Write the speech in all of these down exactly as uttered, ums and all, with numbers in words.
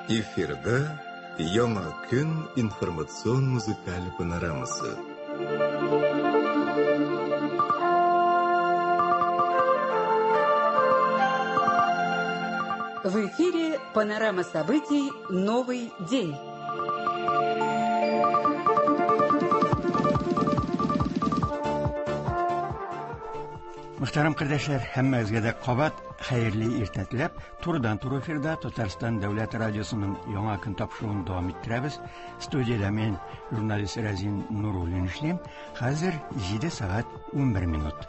Эфирда Яңа көн информацион музыкаль панорамасы. В эфире панорама событий «Новый день». Мөхтәрәм кардәшләр, һәммәгезгә дә кабат хәерле иртә теләп, турыдан-туры эфирда Татарстан дәүләт радиосының Яңа көн тапшыруын дәвам иттерәбез. Студиядә мин, журналист Разин Нуруллин эшлим. Хәзер җиде сәгать унбер минут.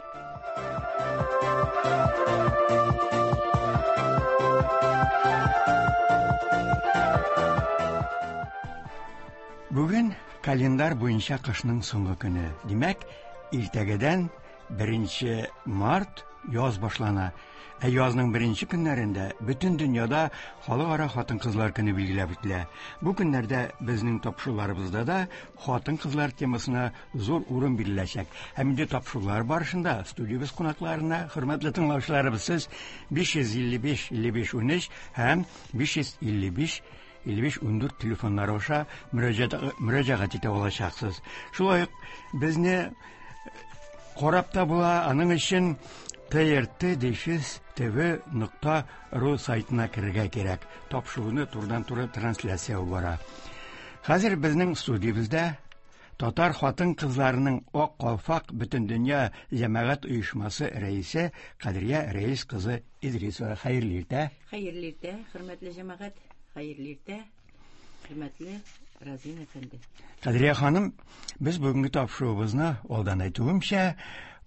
Бүген календарь буенча кышның соңгы көне. Димәк, иртәгәдән беренче март яз башлана. Ә язның беренче көннәрендә бөтен дөньяда халыкара хатын-кызлар көне билгеләп үтелә. Бу көннәрдә безнең тапшыруларыбызда да хатын-кызлар темасына зур урын биреләчәк. Һәм инде тапшырулар барышында студиябез кунакларына, хөрмәтле тыңлаучыларыбыз, сез биш йөз илле биш, илле биш, унөч һәм биш йөз илле биш, илле биш, ундүрт телефоннары аша мөрәҗәгать, мөрәҗәгать итә алачаксыз. Шулай ук безне карап та була, аның өчен Т Р Т дефис Т В нокта ру сайтына керергә кирәк. Тапшыруны турыдан-туры трансляция бара. Хәзер безнең студиябездә татар хатын-кызларының Ак калфак Бөтендөнья җәмәгать оешмасы рәисе Кадрия Рәис кызы Идрисова. Хәерле иртә. Хәерле иртә, хөрмәтле җәмәгать. Хәерле иртә, хөрмәтле Разин әфәнде. Кадрия ханым, без бүгенге тапшыруыбызны алдан әйтүемчә,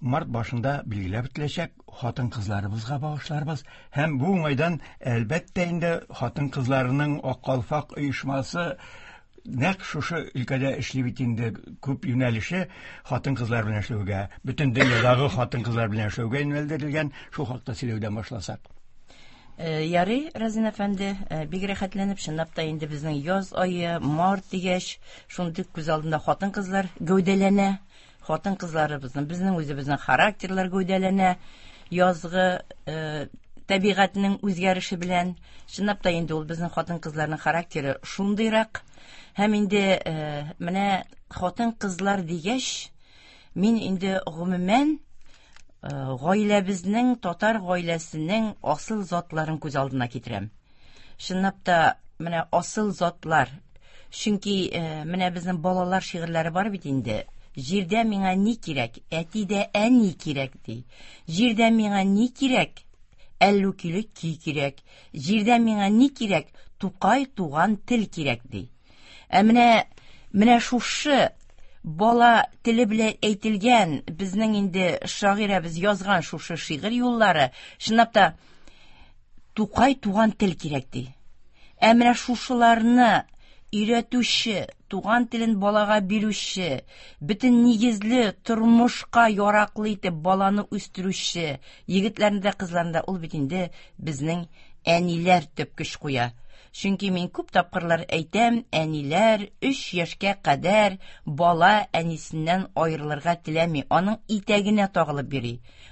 март башында билгеләп үтеләчәк хатын-кызларыбызга багышларбыз. Һәм бу уңайдан, әлбәттә инде, хатын-кызларының Ак калфак оешмасы нәкъ шушы өлкәдә эшли бит инде, күп юнәлеше хатын-кызлар белән эшләүгә, бөтен дөньядагы хатын-кызлар белән эшләүгә юнәлдерелгән. Шул хакта сөйләүдән башласак. Э, ярый, Разин әфәнде, э, бик рәхәтләнеп, чынлап та инде безнең яз ае, март дигәч, шундый күз алдында хатын-кызлар гәүдәләнә. Хатын-кызларыбызның, безнең үзебезнең характерлар гәүдәләнә. Язгы, э, табигатьнең үзгәреше белән, чынлап та инде ул безнең хатын-кызларның характеры шундыйрак. Һәм инде, э, менә хатын-кызлар дигәч, мин инде гомумән, э, гаиләбезнең, татар гаиләсенең асыл затларын күз алдына китерәм. Чынлап та менә асыл затлар. Чөнки, э, менә безнең балалар шигырьләре бар бит инде. Җирдә миңа ни кирәк? Әти дә әни кирәк ди. Җирдә миңа ни кирәк? Әллү киле ки кирәк. Җирдә миңа ни кирәк? Тукай туган тел кирәк ди. Ә менә, менә шушы бала теле белән әйтелгән, безнең инде шагыйрәбез язган шушы шигырь юллары, чынлап та Тукай туган тел кирәк ди. Ә менә шушыларны өйрәтүче, туган телен балага бирүче, бөтен нигезле тормышка яраклы итеп баланы үстерүче, егетләрне дә, кызларны да, ул бит инде безнең әниләр төп көч куя. Чөнки мин күп тапкырлар әйтәм, әниләр өч яшькә кадәр бала әнисеннән аерылырга теләми, аның итәгенә тагылып йөри.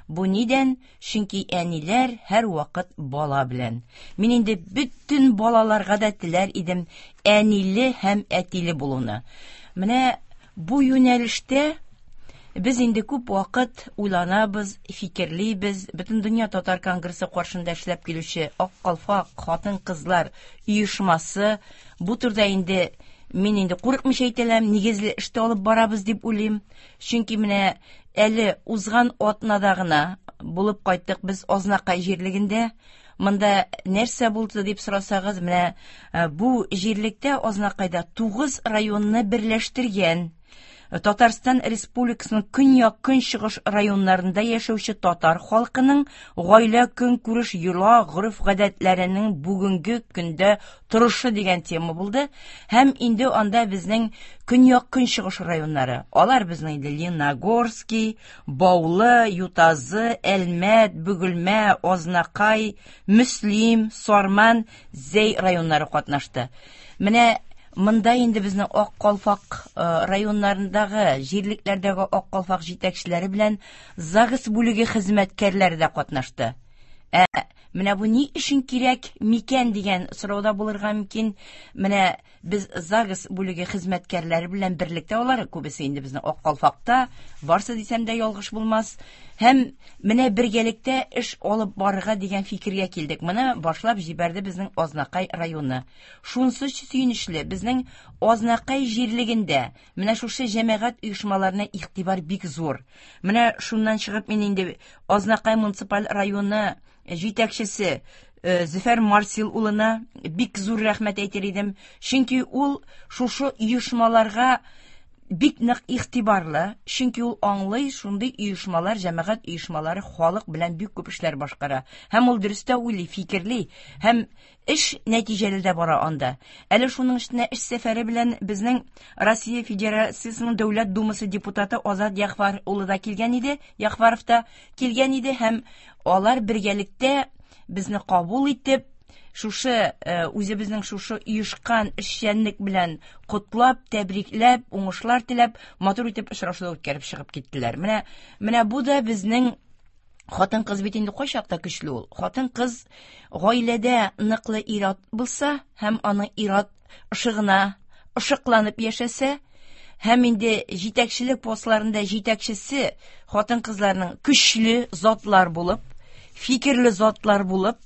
Бу нидән? Чөнки әниләр һәр вакыт бала белән. Мин инде бөтен балаларга да теләр идем әниле һәм әтиле булуны. Менә бу юнәлештә без инде күп вакыт уйланабыз, фикерлибез. Бөтен дөнья татар конгрессы каршында эшләп килүче Ак калфак хатын-кызлар оешмасы бу турыда инде мин инде курыкмыйча әйтәләм, нигезле эштә алып барабыз дип уйлыйм. Чөнки менә әле узган атнада гына булып кайттык без Азнакай җирлегендә. Монда нәрсә булды дип сорасагыз, менә, э, бу җирлектә Азнакайда тугыз районны берләштергән Татарстан Республикасының көньяк-көнчыгыш районнарында яшәүче татар халкының гаилә көнкүреш йола, гореф-гадәтләренең бүгенге көндә торышы дигән тема булды. Һәм инде анда безнең көньяк-көнчыгыш районнары. Алар безнең инде Лениногорский, Баулы, Ютазы, Әлмәт, Бөгелмә, Азнакай, Мөслим, Сарман, Зәй районнары катнашты. Менә монда инде безнең Ак калфак, э, районнарындагы, җирлекләрдәге Ак калфак җитәкчеләре белән ЗАГС бүлеге хезмәткәрләре дә катнашты. Ә Менә бу ни өчен кирәк микән дигән сорауда булырга мөмкин. Менә без ЗАГС бүлеге хезмәткәрләре белән берлектә, алар күбесе инде безнең Ак калфакта, барсы дисәм дә ялгыш булмас. Һәм менә бергәлектә эш алып барырга дигән фикергә килдек. Моны башлап җибәрде безнең Азнакай районы. Шунсы сөенечле, безнең Азнакай җирлегендә менә шушы җәмәгать оешмаларына игътибар бик зур. Менә шуннан чыгып мин инде Азнакай муниципаль районы җитәкчесе Зөфәр Марсил улына бик зур рәхмәт әйтер идем. Чөнки ул шушы оешмаларга бик нык игътибарлы, чөнки ул аңлый, шундый оешмалар, җәмәгать оешмалары халык белән бик күп эшләр башкара. Һәм ул дөрес тә уйлый, фикерли, һәм эш нәтиҗәле дә бара анда. Әле шуның өстенә эш сәфәре белән безнең Россия Федерациясенең Дәүләт Думасы депутаты Азат Яхвар улы да килгән иде, Яхваров та килгән иде, һәм алар бергәлектә безне кабул итеп, шушы үзебезнең шушы оешкан эшчәнлек белән котлап, тәбрикләп, уңышлар теләп, матур итеп очрашулар үткәреп чыгып киттеләр. Менә менә бу да безнең хатын-кыз бит инде кайчакта көчле ул. Хатын-кыз гаиләдә ныклы ир-ат булса һәм аның ир-ат ышыгына ышыкланып яшәсә, һәм инде җитәкчелек постларында җитәкчесе хатын-кызларның көчле затлар булып, фикерле затлар булып,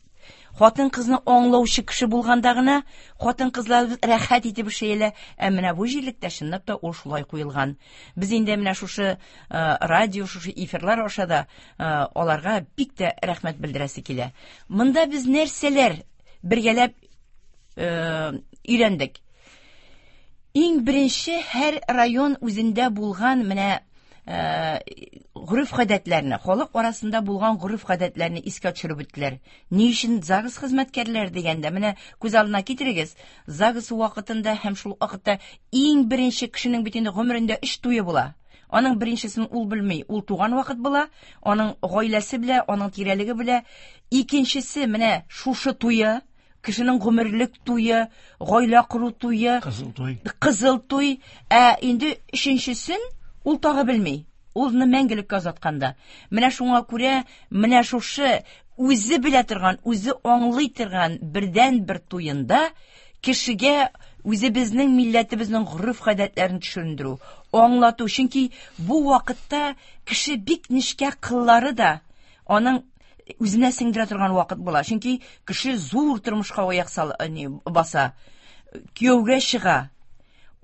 хатын-кызны аңлаучы кеше булганда гына хатын-кызлар рәхәт итеп эшләйләр. Ә менә бу җирлектә чынлап та ул шулай куелган. Без инде менә шушы радио, шушы эфирлар аша да аларга бик тә рәхмәт белдерәсе килә. Монда без нәрсәләр бергәләп өйрәндек? Иң беренче һәр район үзендә булган менә гореф-гадәтләрне, халык арасында булган гореф-гадәтләрне искә төшереп үттеләр. Ни өчен ЗАГС хезмәткәрләре дигәндә, менә күз алдына китерегез, ЗАГС вакытында һәм шул вакытта иң беренче кешенең бит инде гомерендә өч туе була. Аның беренчесен ул белми, ул туган вакыт була, аның гаиләсе белә, аның тирәлеге белә. Икенчесе менә шушы туе, кешенең гомерлек туе, гаилә кору туе, кызыл туй. Кызыл туй. Ә инде өченчесен ул тагы белми. Улны мәңгелеккә озатканда. Менә шуңа күрә, менә шушы үзе белә торган, үзе аңлый торган бердән-бер туенда кешегә үзебезнең милләтебезнең гореф-гадәтләрен төшендерү, аңлату. Чөнки бу вакытта кеше бик нечкә кыллары да аның үзенә сеңдерә торган вакыт була. Чөнки кеше зур тормышка аяк сал, ни, баса, кияүгә чыга.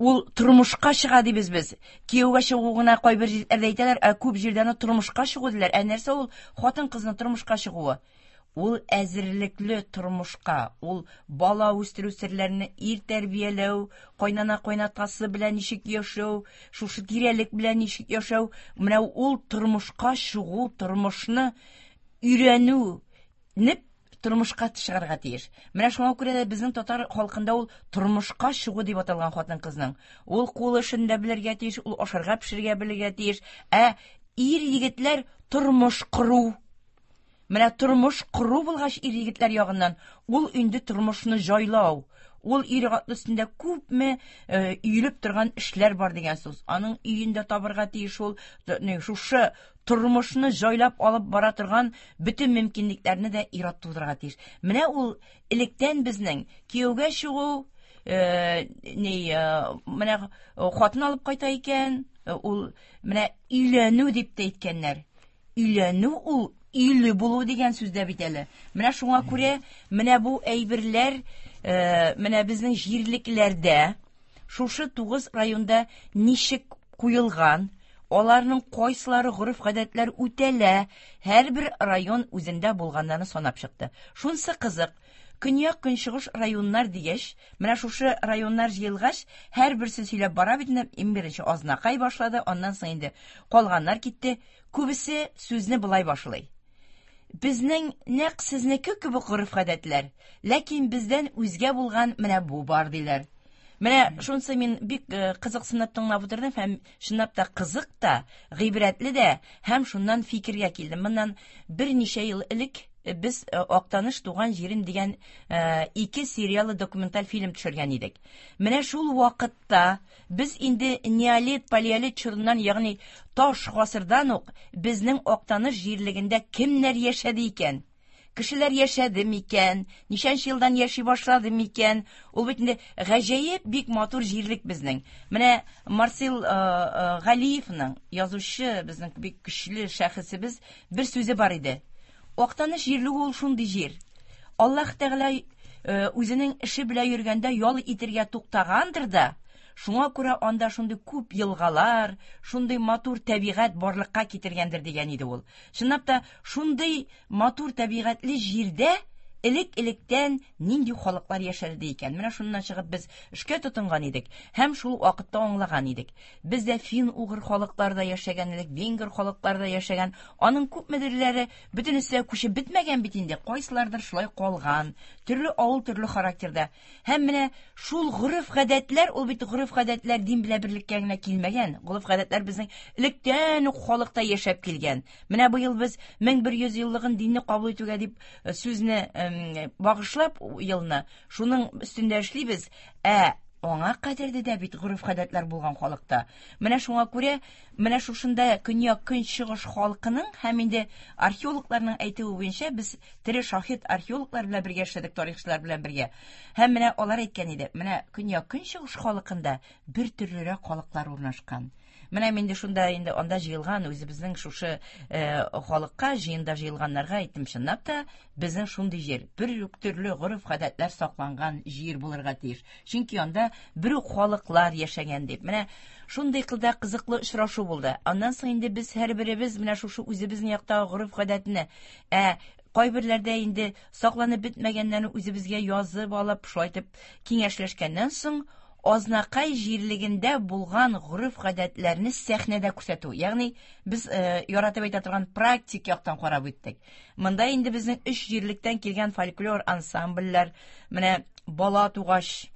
Ул тормышка чыга дибез без. Кияүгә чыгу гына кайбер җирләрдә әйтәләр, ә күп җирдә аны тормышка чыгу диләр. Ә нәрсә ул хатын-кызның тормышка чыгуы? Ул әзерлекле тормышка, ул бала үстерү серләрен ир тәрбияләү, кайнана кайнатасы белән ничек яшәү, шушы тирәлек белән ничек яшәү, менә ул тормышка чыгу, тормышны өйрәнү неп тормышка чыгарга тиеш. Менә шуңа күрә дә безнең татар халкында ул тормышка чыгу дип аталган хатын-кызның. Ул кул эшен дә белергә тиеш, ул ашарга пешерергә белергә тиеш. Ә ир егетләр тормыш кору. Менә тормыш кору булгач ир егетләр ягыннан, ул инде тормышны җайлау. Ул ир атлы өстендә күпме өелеп торган эшләр бар дигән сүз. Аның өендә табырга тиеш ул, шушы тормышны җайлап алып бара торган бөтен мөмкинлекләрне дә ир-ат тудырырга тиеш. Менә ул электән безнең кияүгә чыгу, ни, менә хатын алып кайта икән, ул менә өйләнү дип тә әйткәннәр. Өйләнү ул өйле булу дигән сүз дә бит әле. Менә шуңа күрә менә бу әйберләр, менә безнең җирлекләрдә шушы тугыз районда ничек куелган, аларның кайсылары гореф-гадәтләр үтәлә, һәрбер район үзендә булганнарны санап чыкты. Шунсы кызык, көньяк-көнчыгыш районнар дигәч, менә шушы районнар җыелгач, һәрберсе сөйләп бара бит инде, иң беренче Азнакай башлады, аннан соң инде калганнар китте. Күбесе сүзне болай башлый. Безнең нәкъ сезнеке кебек гореф-гадәтләр, ләкин бездән үзгә булган менә бу бар диләр. Менә шунысы мин бик кызыксынып тыңлап утырдым һәм чынлап та кызык та, гыйбрәтле дә, һәм шуннан фикергә килдем. Моннан берничә ел элек без Актаныш туган җирем дигән ике сериялы документаль фильм төшергән идек. Менә шул вакытта без инде неолит, палеолит чорыннан, ягъни таш гасырдан ук безнең Актаныш җирлегендә кемнәр яшәде икән? Кешеләр яшәде микән? Ничәнче елдан яши башлады микән? Ул бит инде гаҗәеп бик матур җирлек безнең. Менә Марсил Галиевның, язучы, безнең бик көчле шәхесебез, бер сүзе бар иде. Актаныш җирлеге ул шундый җир. Аллаһ Тәгалә үзенең эше белән йөргәндә ял итергә туктагандыр да, шуңа күрә анда шундый күп елгалар, шундый матур табигать барлыкка китергәндер дигән иде ул. Чынлап та шундый матур табигатьле җирдә элек-электән нинди халыклар яшәде икән? Менә шуннан чыгып без эшкә тотынган идек һәм шул вакытта аңлаган идек. Бездә фин-угыр халыклар да яшәгән, элек венгр халыклар да яшәгән. Аның күпмедерләре бөтенесе күчеп бетмәгән бит инде. Кайсылардыр шулай калган. Төрле авыл, төрле характерда. Һәм менә шул гореф-гадәтләр, ул бит гореф-гадәтләр дин белән берлеккә генә килмәгән. Гореф-гадәтләр безнең электән үк халыкта яшәп килгән. Менә быел без мең бер йөз еллыгын динне кабул итүгә дип сүзне багышлап елны шуның өстендә эшлибез. Ә аңа кадәрдә дә бит гореф-гадәтләр булган халыкта. Менә шуңа күрә менә шушында көньяк-көнчыгыш халкының һәм инде археологларның әйтүе буенча без тере шаһит археологлар белән бергә эшләдек, тарихчылар белән бергә. Һәм менә алар әйткән иде, менә көньяк-көнчыгыш халкында бер төрлерәк халыклар урнашкан. Менә мин дә шунда инде анда җыелган үзебезнең шушы халыкка, җыенда җыелганнарга әйттем, чынлап та безнең шундый җир, бер үк төрле гореф-гадәтләр сакланган җир булырга тиеш. Чөнки анда бер үк халыклар яшәгән дип. Менә шундый кылда кызыклы очрашу булды. Аннан соң инде без һәрберебез менә шушы үзебезнең яктагы гореф-гадәтне, ә кайберләрдә инде сакланып бетмәгәннәрне үзебезгә язып алып, шулай итеп киңәшләшкәннән соң Азнакай җирлегендә булган гореф-гадәтләрне сәхнәдә күрсәтү. Ягъни без э, яратып әйтә торган практик яктан карап үттек. Монда инде безнең өч җирлектән килгән фольклор ансамбльләр, менә бала тугач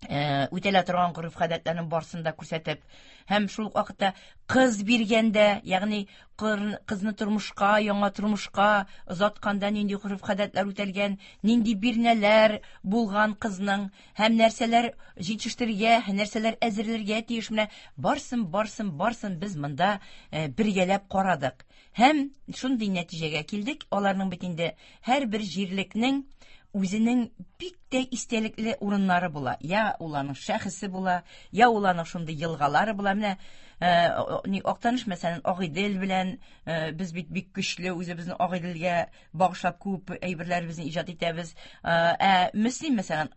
э, үтәлә торган гореф-гадәтләрнең барысын да күрсәтеп, һәм шул ук вакытта кыз биргәндә, ягъни кызны тормышка, яңа тормышка озатканда нинди гореф-гадәтләр үтәлгән, нинди бирнәләр булган кызның, һәм нәрсәләр җитештерергә, нәрсәләр әзерләргә тиеш, менә барсын, барсын, барсын без монда бергәләп карадык. Һәм шундый нәтиҗәгә килдек, аларның бит инде һәрбер җирлекнең үзенең бик тә истәлекле урыннары була. Я ул аның шәхесе була, я ул аның шундый елгалары була. Менә Актаныш, мәсәлән, Агыйдел белән без бит бик көчле үзебезнең Агыйделгә багышлап күп әйберләребезне иҗат итәбез. Ә Мөслим, мәсәлән,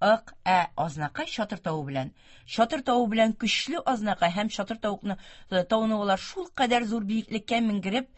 Ык, ә Азнакай Чатыр тавы белән. Чатыр тавы белән көчле Азнакай һәм Чатыр тавыкны тауны алар шул кадәр зур биеклеккә менгереп,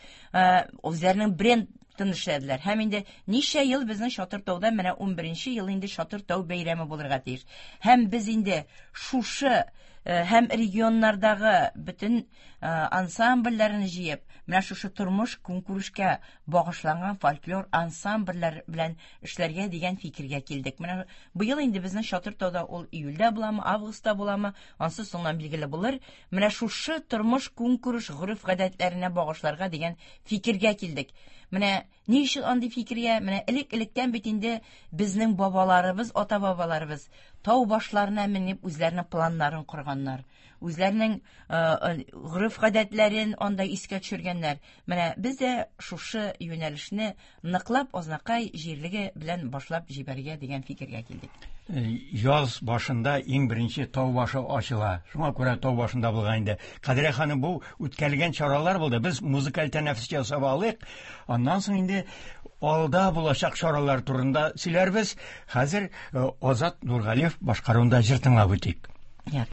үзләренең бренд эшләделәр. Һәм инде ничә ел безнең Чатыр тауда, менә ун беренче ел инде Чатыр тау бәйрәме булырга тиеш. Һәм без инде шушы һәм регионнардагы бөтен ансамбльләрне җыеп, менә шушы тормыш көнкүрешкә багышланган фольклор ансамбльләр белән эшләргә дигән фикергә килдек. Менә быел инде безнең Чатыр тауда ул июльдә буламы, августта буламы, ансы соңыннан билгеле булыр. Менә шушы тормыш көнкүреш гореф-гадәтләренә багышларга дигән фикергә килдек. Менә ни өчен андый фикергә? Менә элек-электән бит инде безнең бабаларыбыз, ата-бабаларыбыз тау башларына менеп үзләренең планнарын корганнар. Үзләренең гореф-гадәтләрен анда искә төшергәннәр. Менә без дә шушы юнәлешне ныклап Азнакай җирлеге белән башлап җибәрергә дигән фикергә килдек. Яз башында иң беренче тау башы ачыла. Шуңа күрә тау башында булган инде. Кадрия ханым, бу үткәрелгән чаралар булды. Без музыкаль тәнәфес ясап алыйк. Аннан соң инде алда булачак чаралар турында сөйләрбез. Хәзер Азат Нургалиев башкаруында җыр тыңлап үтик. Tañ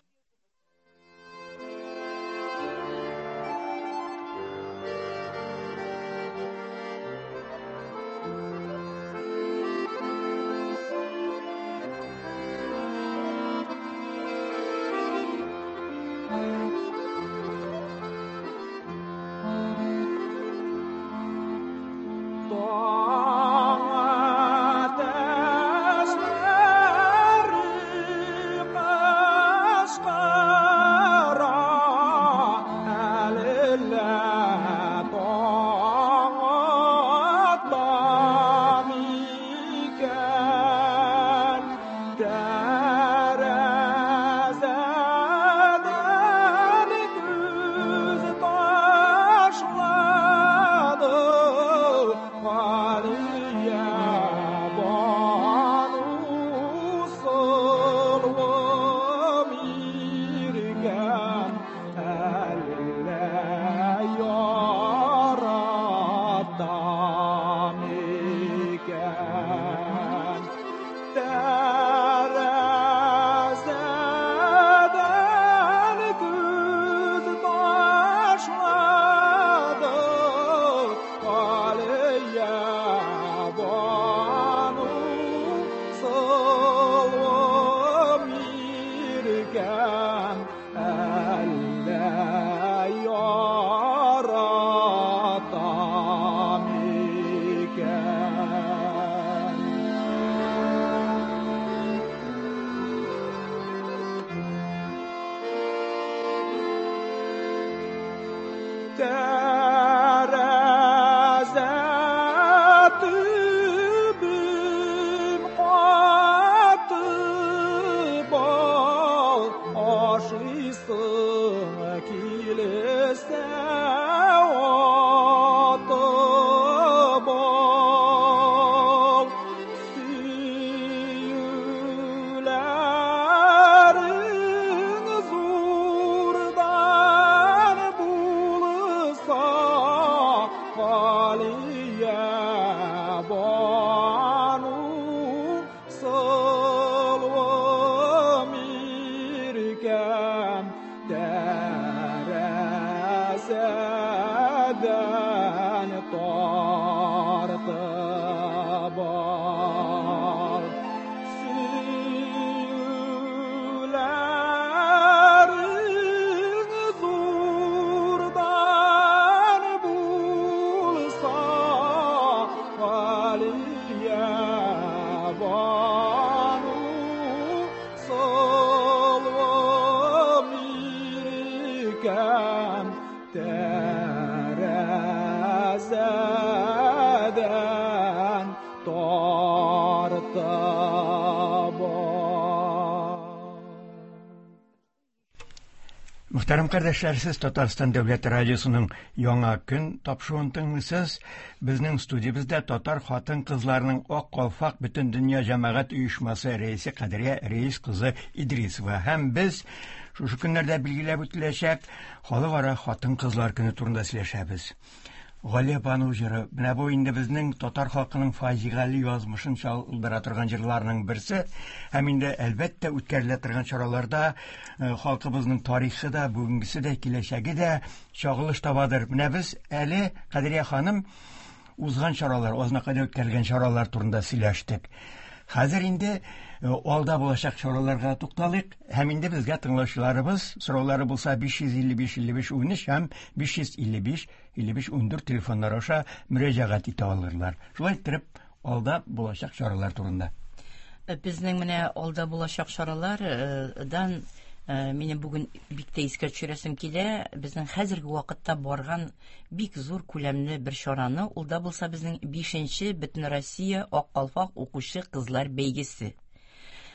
арта Мөхтәрәм кардәшләр, сез Татарстан Дәүләт радиосының Яңа көн тапшыруын тыңлыйсыз. Безнең студиябездә татар хатын-кызларының Ак калфак Бөтендөнья җәмәгать оешмасы рәисе Кадрия Рәис кызы Идрисова һәм без шушы көннәрдә билгеләп үтеләчәк Халыкара хатын-кызлар көне турында сөйләшәбез. Галия Бану җыры. Менә бу инде безнең татар халкының фаҗигале язмышын чагылдыра торган җырларның берсе. Һәм инде әлбәттә үткәрелә торган чараларда халкыбызның тарихы да, бүгенгесе дә, киләчәге дә чагылыш табадыр. Менә без әле Кадрия ханым узган чаралар, Азнакайда үткәрелгән чаралар турында сөйләштек. Хәзер инде алда булачак чараларга тукталыйк. Һәм инде безгә тыңлаучыларыбыз сораулары булса биш йөз илле биш илле биш унөч һәм биш йөз илле биш илле биш ундүрт телефоннары аша мөрәҗәгать итә алырлар. Шулай иттереп алда булачак чаралар турында. Безнең менә алда булачак чаралардан минем бүген бик тә искә төшерәсем килә. Безнең хәзерге вакытта барган бик зур күләмле бер чараны, ул да булса безнең бишенче Бөтенроссия Ак калфак укучы кызлар бәйгесе.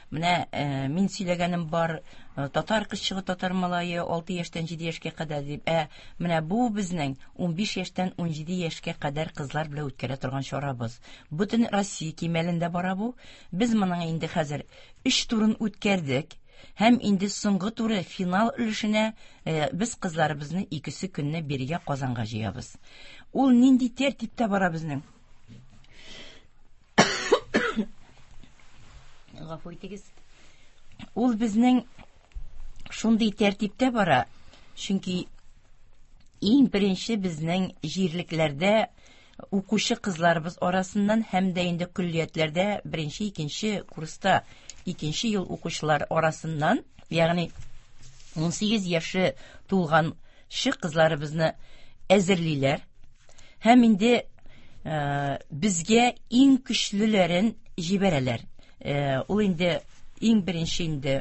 Менә мин сөйләгәнем бар, татар кызчыгы, татар малае алты яшьтән җиде яшькә кадәр дип. Ә менә бу безнең унбиш яшьтән унҗиде яшькә кадәр кызлар белән үткәрә торган чарабыз. Бөтен Россия кимәлендә бара бу. Без моның инде хәзер өч турын үткәрдек. Һәм инде соңгы туры финал өлешенә без кызларыбызны икесе көнне биргә Казанга җыябыз. Ул нинди тәртиптә бара безнең? Гафу итегез. Ул безнең шундый тәртиптә бара, чөнки иң беренче безнең җирлекләрдә укучы кызларыбыз арасыннан һәм дә инде көллиятләрдә беренче, икенче курста икенче ел укучылар арасыннан, ягъни унсигез яше тулганчы кызларыбызны әзерлиләр. Һәм инде безгә иң көчлеләрен җибәрәләр. Ул инде иң беренче инде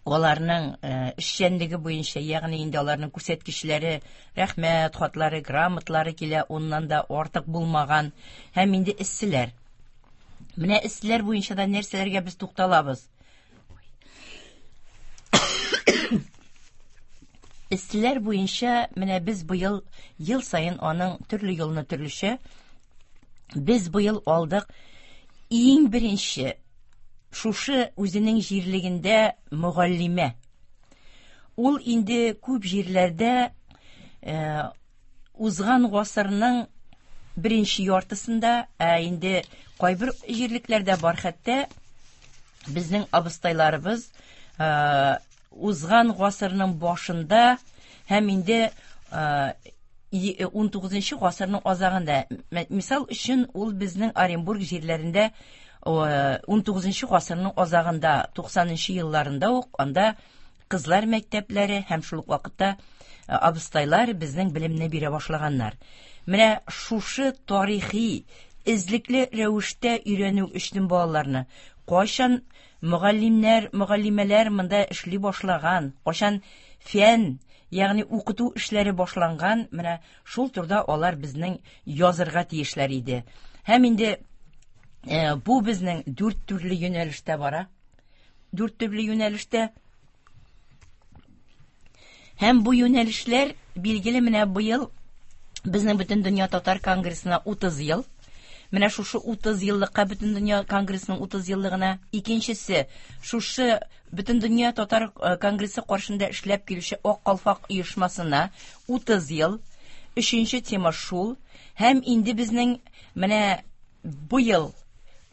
аларның эшчәнлеге буенча, ягъни инде аларның күрсәткечләре, рәхмәт хатлары, грамотлары килә, уннан да артык булмаган. Һәм инде эсселәр. Менә эсселәр буенча да нәрсәләргә без тукталабыз? Эсселәр буенча менә без быел ел саен аның төрле елны төрлечә без быел алдык. Иң беренче шушы үзенең җирлегендә мөгаллимә. Ул инде күп җирләрдә э, узган гасырның беренче яртысында, ә инде кайбер җирлекләрдә бар хәтта безнең абыстайларыбыз э, узган гасырның башында һәм инде э, унтугызынчы гасырның азагында. Мисал өчен ул безнең Оренбург җирләрендә унтугызынчы гасырның азагында, туксанынчы елларында ук анда кызлар мәктәпләре һәм шул ук вакытта абыстайлар безнең белемне бирә башлаганнар. Менә шушы тарихи эзлекле рәвештә өйрәнү өчен балаларны кайчан мөгаллимнәр, мөгаллимәләр монда эшли башлаган, кайчан фән, ягъни укыту эшләре башланган, менә шул турда алар безнең язырга тиешләр иде. Һәм инде э, бу безнең дүрт төрле юнәлештә бара. Дүрт төрле юнәлештә. Һәм бу юнәлешләр билгеле менә быел безнең Бөтендөнья татар конгрессына утыз ел. Менә шушы утыз еллыкка Бөтендөнья конгрессының утыз еллыгына, икенчесе шушы Бөтендөнья татар конгрессы каршында эшләп килүче Ак калфак оешмасына утыз ел, өченче тема шул. Һәм инде безнең менә быел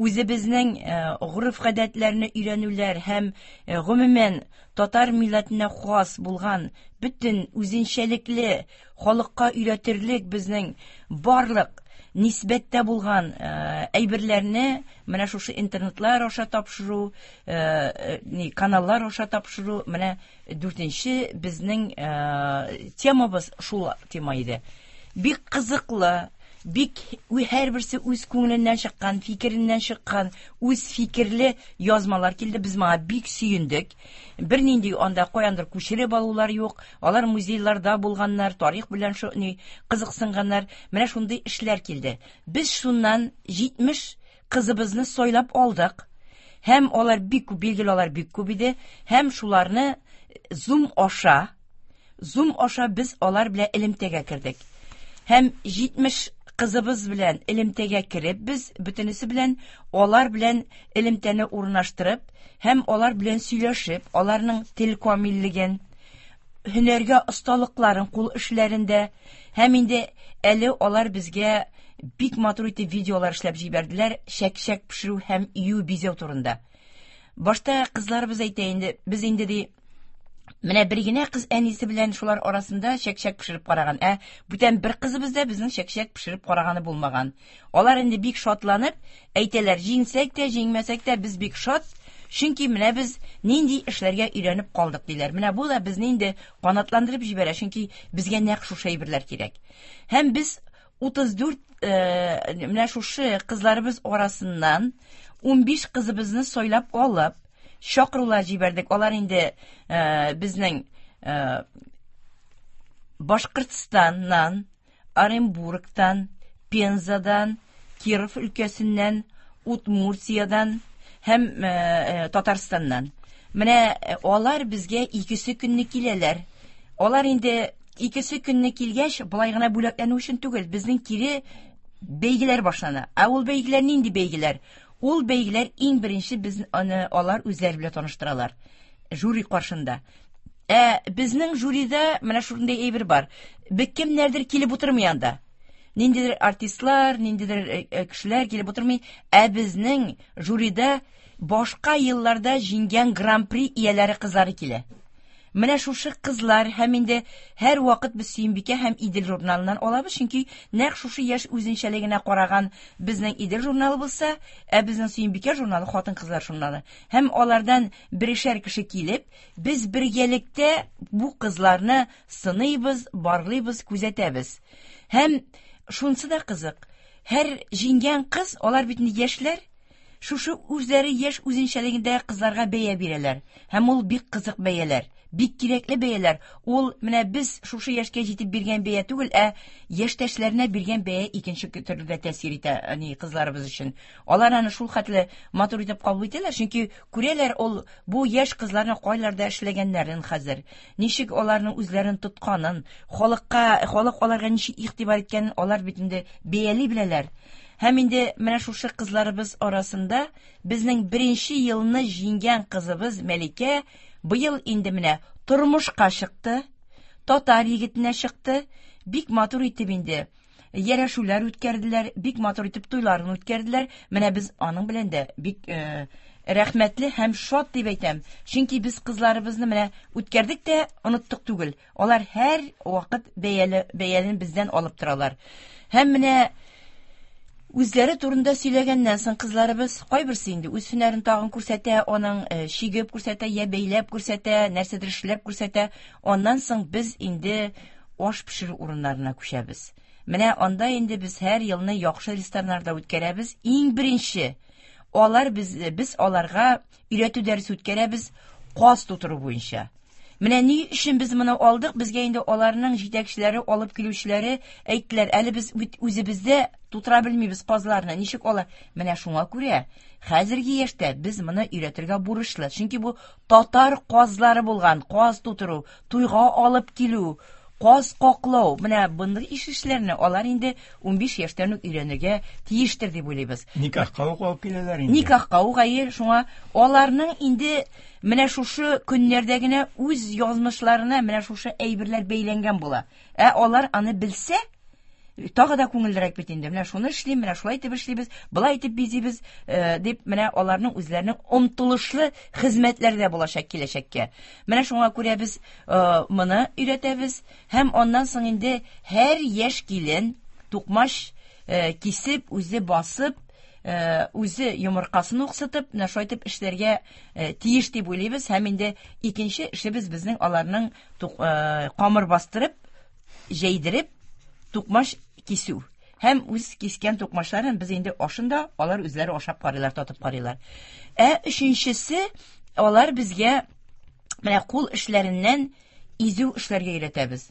үзебезнең гореф-гадәтләрне өйрәнүләр һәм гомумән татар милләтенә хас булган бөтен үзенчәлекле халыкка өйрәтерлек безнең барлык нисбәттә булган әйберләрне менә шушы интернетлар аша тапшыру, каналлар аша тапшыру, менә дүртенче безнең темабыз шул тема иде. Бик кызыклы, бик һәрберсе үз күңеленнән чыккан, фикереннән чыккан, үз фикерле язмалар килде. Без моңа бик сөендек. Бернинди анда каяндыр күчереп алулар юк. Алар музейларда булганнар, тарих белән шуны кызыксынганнар. Менә шундый эшләр килде. Без шуннан җитмеш кызыбызны сайлап алдык. Һәм алар бик күп, билгеле алар бик күп иде. Һәм шуларны Zoom аша, Zoom аша без алар белән элемтәгә кердек. Һәм җитмеш кызыбыз белән элемтәгә кереп, без бөтенесе белән алар белән элемтәне урнаштырып, һәм алар белән сөйләшеп, аларның тел камиллеген, һөнәргә осталыкларын кул эшләрендә, һәм инде әле алар безгә бик матур итеп видеолар эшләп җибәрделәр, чәк-чәк пешерү һәм ию бизәү турында. Башта кызларыбыз әйтә инде, без инде ди, менә бер генә кыз әнисе белән шулар арасында чәк-чәк пешереп караган. Ә бүтән бер кызыбыз да безнең чәк-чәк пешереп караганы булмаган. Алар инде бик шатланып әйтәләр, җиңсәк тә, җиңмәсәк тә без бик шат, чөнки менә без нинди эшләргә өйрәнеп калдык диләр. Менә бу да безне инде канатландырып җибәрә, чөнки безгә нәкъ шушы әйберләр кирәк. Һәм без утыз дүрт, э, менә шушы кызларыбыз арасыннан унбиш кызыбызны сайлап алып, чакырулар җибәрдек. Алар инде, э, безнең, э, Башкортстаннан, Оренбургтан, Пензадан, Киров өлкәсеннән, Удмуртиядан һәм, э, э, Татарстаннан. Менә, э, алар безгә икесе көнне киләләр. Алар инде икесе көнне килгәч, болай гына бүләкләнү өчен түгел, безнең кире бәйгеләр башлана. Ә ул бәйгеләр нинди бәйгеләр? Ул бәйгеләр иң беренче без аны алар үзләре белән таныштыралар. Жюри каршында. Ә безнең жюрида менә шундый әйбер бар. Бик кемнәрдер килеп утырмый анда. Ниндидер артистлар, ниндидер, э, э, кешеләр килеп утырмый. Ә безнең жюрида башка елларда җиңгән гран-при ияләре кызлары килә. Менә шушы кызлар һәм инде һәр вакыт без Сөембикә һәм Идел журналыннан алабыз, чөнки нәкъ шушы яшь үзенчәлегенә караган безнең Идел журналы булса, ә безнең Сөембикә журналы хатын-кызлар журналы. Һәм алардан берешәр кеше килеп, без бергәлектә бу кызларны сыныйбыз, барлыйбыз, күзәтәбез. Һәм шунсы да кызык. Һәр җиңгән кыз, алар бит инде яшьләр, шушы үзләре яшь үзенчәлегендә кызларга бәя бирәләр. Һәм ул бик кызык бәяләр, бик кирәкле бәяләр. Ул менә без шушы яшькә җитеп биргән бәя түгел, ә яшьтәшләренә биргән бәя икенче төрле дә тәэсир итә, әни кызларыбыз өчен. Алар аны шул хәтле матур итеп кабул итәләр, чөнки күрәләр ул бу яшь кызларның кайларда эшләгәннәрен хәзер, ничек аларның үзләрен тотканын, халыкка, халык аларга ничек игътибар иткәнен алар бит инде бәяли беләләр. Һәм инде менә шушы кызларыбыз арасында безнең беренче елны җиңгән кызыбыз Мәликә быел инде менә тормышка чыкты, татар егетенә чыкты, бик матур итеп инде ярәшүләр үткәрделәр, бик матур итеп туйларын үткәрделәр. Менә без аның белән дә бик, э, рәхмәтле һәм шат дип әйтәм. Чөнки без кызларыбызны менә үткәрдек тә оныттык түгел. Алар һәр вакыт бәяле, бәялен бездән алып торалар. Һәм менә үзләре турында сөйләгәннән соң кызларыбыз кайберсе инде үз һөнәрен тагын күрсәтә, аның, э, чигеп күрсәтә, я бәйләп күрсәтә, нәрсәдер эшләп күрсәтә. Аннан соң без инде аш пешерү урыннарына күчәбез. Менә анда инде без һәр елны яхшы рестораннарда үткәрәбез. Иң беренче алар без, без аларга өйрәтү дәресе үткәрәбез каз тутыру буенча. Менә ни өчен без моны алдык? Безгә инде аларның җитәкчеләре, алып килүчеләре әйттеләр, әле без бит үзебездә тутыра белмибез казларны, ничек алар? Менә шуңа күрә хәзерге яшьтә без моны өйрәтергә бурычлы. Чөнки бу татар казлары булган, каз тутыру, туйга алып килү, каз каклау, менә мондый иш эшләрне алар инде унбиш яшьтән үк өйрәнергә тиештер дип уйлыйбыз. Никахка ук алып киләләр инде. Никахка ук, әйе, шуңа аларның инде менә шушы көннәрдә генә үз язмышларына менә шушы әйберләр бәйләнгән була. Ә алар аны белсә, тагы да күңеллерәк бит инде. Менә шуны эшлим, менә шулай итеп эшлибез, былай итеп бизибез, э, дип менә аларның үзләренең омтылышлы хезмәтләре дә булачак киләчәккә. Менә шуңа күрә без, э, моны өйрәтәбез һәм аннан соң инде һәр яшь килен тукмач, э, кисеп, үзе басып, э, үзе йомыркасын уксытып, менә шулай итеп эшләргә, э, тиеш дип уйлыйбыз. Һәм инде икенче эшебез безнең аларның тук-, э, камыр бастырып, җәйдереп, тукмач кисү. Һәм үз кискән тукмачларын без инде ашында алар үзләре ашап карыйлар, татып карыйлар. Ә өченчесе, алар безгә менә кул эшләреннән изү эшләргә өйрәтәбез.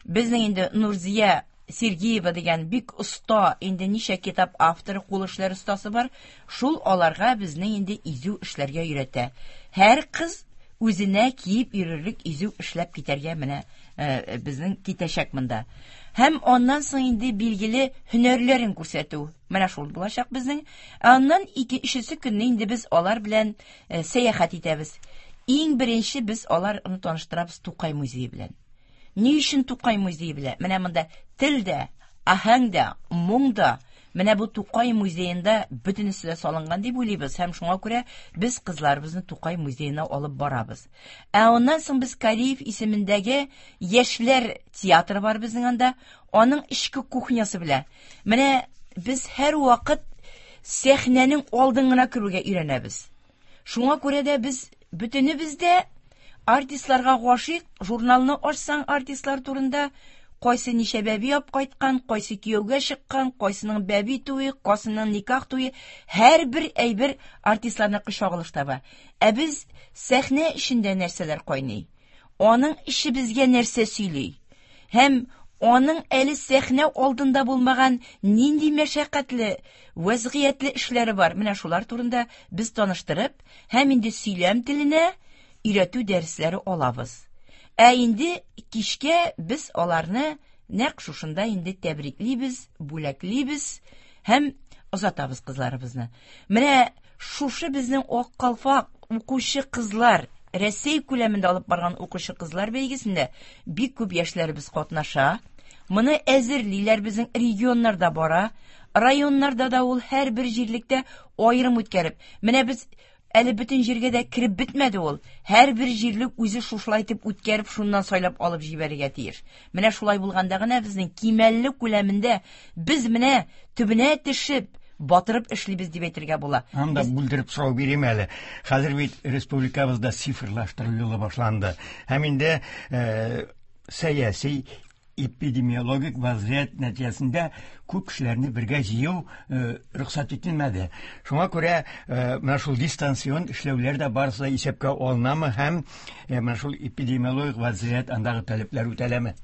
Безнең инде Нурзия Сергеева дигән бик оста, инде ничә китап авторы, кул эшләре остасы бар, шул аларга безнең инде изү эшләргә өйрәтә. Һәр кыз үзенә киеп йөрерлек изү эшләп китәргә менә э, безнең китәчәк монда. Һәм аннан соң инде билгеле һөнәрләрен күрсәтү. Менә шул булачак безнең. Ә аннан ике өченче көнне инде без алар белән э, сәяхәт итәбез. Иң беренче без аларны таныштырабыз Тукай музее белән. Ни өчен Тукай музее белән? Менә монда тел дә, аһәң дә, моң да менә бу Тукай музеенда бөтенесе дә салынган дип уйлыйбыз һәм шуңа күрә без кызларыбызны Тукай музеена алып барабыз. Ә аннан соң без Кариев исемендәге яшьләр театры бар безнең анда, аның эчке кухнясы белән. Менә без һәр вакыт сәхнәнең алдын гына керүгә өйрәнәбез. Шуңа күрә дә без бөтенебез дә артистларга гашыйк, журналны ачсаң артистлар турында кайсы ничә бәби алып кайткан, кайсы кияүгә чыккан, кайсының бәби туе, кайсының никах туе, һәрбер әйбер артистларныкы чагылыш таба. Ә без сәхнә эчендә нәрсәләр кайный? Аның эше безгә нәрсә сөйли? Һәм аның әле сәхнә алдында булмаган нинди мәшәкатьле, вәзгыятьле эшләре бар? Менә шулар турында без таныштырып, һәм инде сөйләм теленә өйрәтү дәресләре алабыз. Ә инде кичкә без аларны нәкъ шушында инде тәбриклибез, бүләклибез һәм озатабыз кызларыбызны. Менә шушы безнең Ак калфак укучы кызлар, Рәсәй күләмендә алып барган укучы кызлар бәйгесендә бик күп яшьләребез катнаша. Моны әзерлиләр, безнең регионнарда бара, районнарда да ул һәрбер җирлектә аерым үткәреп. Менә без әле бөтен җиргә дә кереп бетмәде ул. Һәрбер җирлек үзе шушылай итеп үткәреп, шуннан сайлап алып җибәрергә тиеш. Менә шулай булганда гына безнең кимәлле күләмендә без менә төбенә төшеп, батырып эшлибез дип әйтергә була. Анда бүлдереп сорау бирим әле. Хәзер бит республикабызда цифрлаштыру юлы башланды. Һәм инде э, сәяси эпидемиологик вазгыять нәтиҗәсендә күп кешеләрне бергә җыю э, рөхсәт ителмәде. Шуңа күрә э, менә шул дистанцион эшләүләр дә барысы да исәпкә алынамы һәм э, менә шул эпидемиологик вазгыять андагы таләпләр үтәләме?